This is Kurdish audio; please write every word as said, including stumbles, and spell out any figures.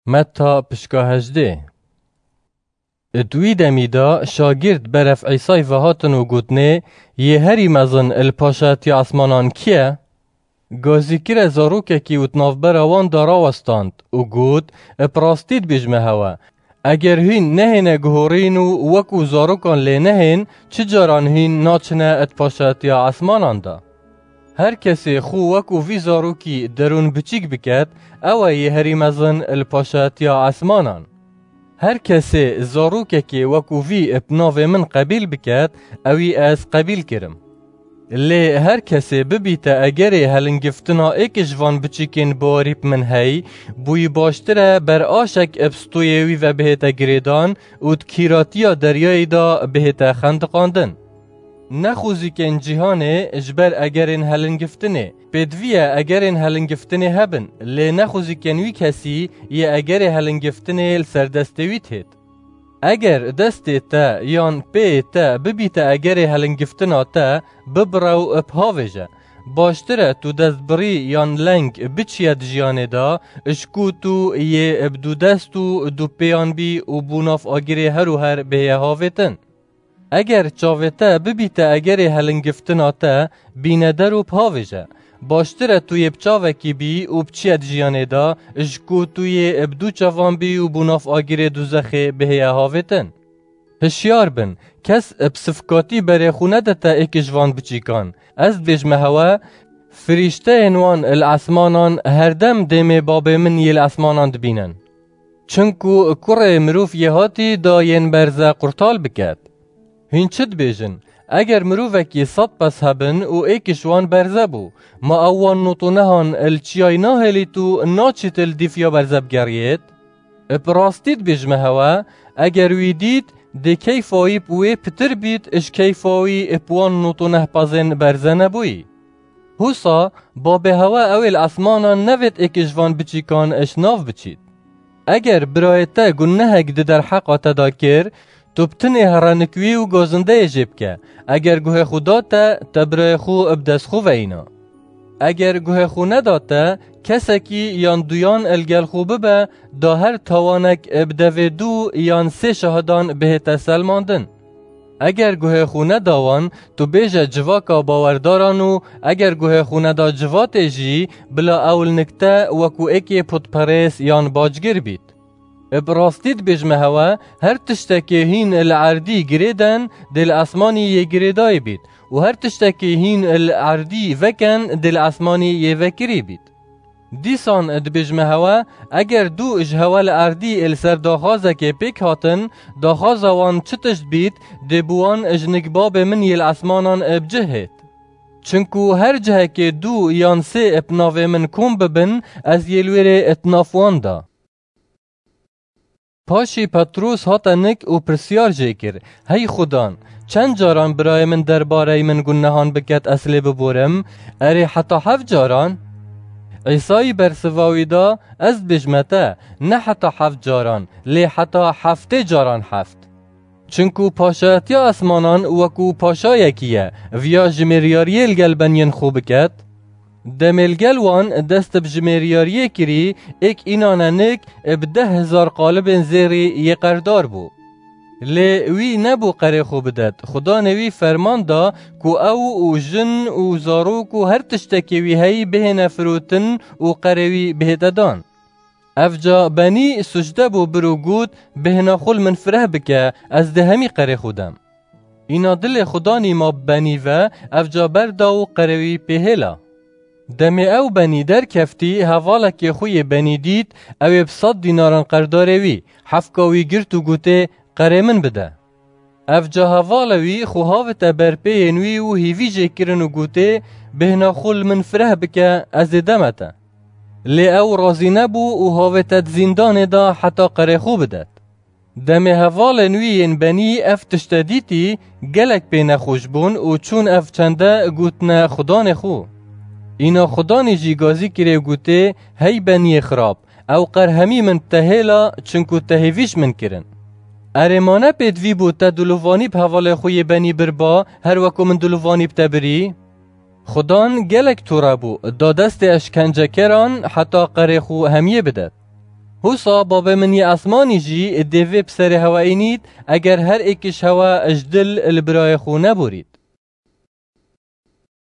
Metta pişka hejdê. Di wî demî de şagird berev Îsay ve hatin û gotinê, Yê herî mezin li paşatiya esmanan kî ye? Gazî kire zarokekî û di navbera wan de rawestand û got, Bi rastî dibêjime hewe, eger hîn nehêne guhorîn û wekû zarokan lê nehên, çi caran hîn naçine di paşatiya esmanan de. Her kesê xwe wekû vî zarokî derûn biçîk biket, ew e yê herî mezin li paşatiya esmanan. Her kesê zarokekê wekû vî bi navê min qebîl biket, ewî ez qebîl kirim. Lê her kesê bibîte egerê helingiftina êk ji van biçîkên bawerî bi min hey, bûyî baştir e ber aşek bi stûyê wî ve bihête girêdan û di kîratiya deryayê de bihête xendiqandin. Nexwezîkên cîhanê ji ber egerên helingiftinê. Pêdivî ye egerên helingiftinê hebin, lê nexwezîkên wî kesî yê egerê helingiftinê li ser destê wî têt. Eger destê te yan pêyê te bibîte egerê helingiftina te, bibire û bihavêje. Baştir e tu destbirî yan leng biçiye di jiyanê de, ji ku tu yê bi du dest û du pêyan bî û bo nav agirê her û her bihêye havêtin. Eger çavê te bibîte egerê helingiftina te, bîne der û bihavêje. Baştir e tu yê bi çavekî bî û biçiye di jiyanê de, ji ku tu yê bi du çavan bî û bo nav agirê duzexê bihêye havêtin. Hişyar bin, kes bi sifikatî berê xwe nedite êk ji van biçîkan. Ez dibêjime hewe, firîşteyên wan li esmanan herdem dêmê babê min yê li esmanan dibînin. Çinku kurê mirov yê hatî da yên berze qurtal biket. Hîn çi dibêjin? Eger mirovekî sed pez hebin û êk ji wan berze bû, ma ew wan notonehan li çiyayê nahêlît û naçît li dîv ya berze bigeriyêt? Bi rastî dibêjime hewe, eger wî dît, dê keyfa wî bi wê pitir bît ji keyfa wî bi wan notoneh pezên berze nebûyî. Husa, babê hewe ew ê li esmanan nevêt êk ji van biçîkan ji nav biçît. Eger birayê te gunehek di derheqa te de kir, tu bi tinê here nik wî û gazindeyê jê bike. Eger guhê xwe da te, te birayê xwe bi dest xwe ve îna. Eger guhê xwe neda te, kesekî yan duyan li gel xwe bibe, da her tawanek bi devê du yan sê şahidan bihête selmandin. Eger guhê xwe neda wan, tu bêje civaka bawerdaran û eger guhê xwe neda civatê jî, bila ew li nik te wekû êkê putperêz yan bacgir bît. Bi rastî dibêjime hewe, her tiştekê hîn li erdî girêden, dê li esmanî yê girêdayî bît û her tiştekê hîn li erdî veken, dê li esmanî yê vekirî bît. Dîsan dibêjime hewe, eger du ji hewe li erdî li ser daxwazekê pêk hatin, daxwaza wan çi tişt bît, dê bi wan ji nik babê min yê li esmanan bi cih hêt. Çinku her cihekê du yan sê bi navê min kom bibin, ez yê li wêrê di nav wan de. Paşî Petrûs hate nik û pirsyar jê kir, Hey Xudan, çend caran birayê min derbareyî min gunehan biket ez lê biborim? Erê heta heft caran? Îsayî bersiva wî da, Ez dibêjime te, ne heta heft caran, lê heta heftê caran heft. Çinku paşayetiya esmanan wekû paşayekî ye, viya jimêriyariyê li gel beniyên xwe biket? Demê li gel wan dest bi jimêriyariyê kirî, êk înane nik bi deh hezar qalibên zêrî yê qerdar bû. Lê wî nebû qerê xwe bidet. Xudanê wî ferman da ku ew û jin û zarok û her tiştekê wî heyî bihêne firotin û qerê wî bihête dan. Evca benî sucde bû bir û got, Bêhna xwe li min fireh bike, ez dê hemî qerê xwe dem. Îna dilê Xudanî ma bi benî ve, evca berda û qerê wî pê hêla. Demê ew benî derkeftî, hevalekê xwe yê benî dît, ew ê bi sed dînaran qerdarê wî, hefka wî girt û gotê, Qerê min bide. Evca hevalê wî xwe havite ber pêyên wî û hîvî jê kirin û gotê, Bêhna xwe li min fireh bike, ez ê deme te. Lê ew razî nebû û havête di zîndanê de heta qerê xwe bidet. Demê hevalên wî yên benî ev tişte dîtî, gelek pê nexweş bûn û çûn ev çende gotine xudanê xwe. Îna xudanî jî gazî kirê û gotê, Hey beniyê xirab, ew qer hemî min bi te hêla, çinku te hêvî ji min kirin. Erê ma ne pêdivî bû te dilovanî bi hevalê xwe yê benî birba, her weko min dilovanî bi te birî? Xudan gelek tore bû, da destê eşkencekeran heta qerê xwe hemiyê bidet. Husa Babê min yê esmanî jî dê vê bi serê hewe înît, eger her êkiş hewe ji dil li birayê xwe neborît.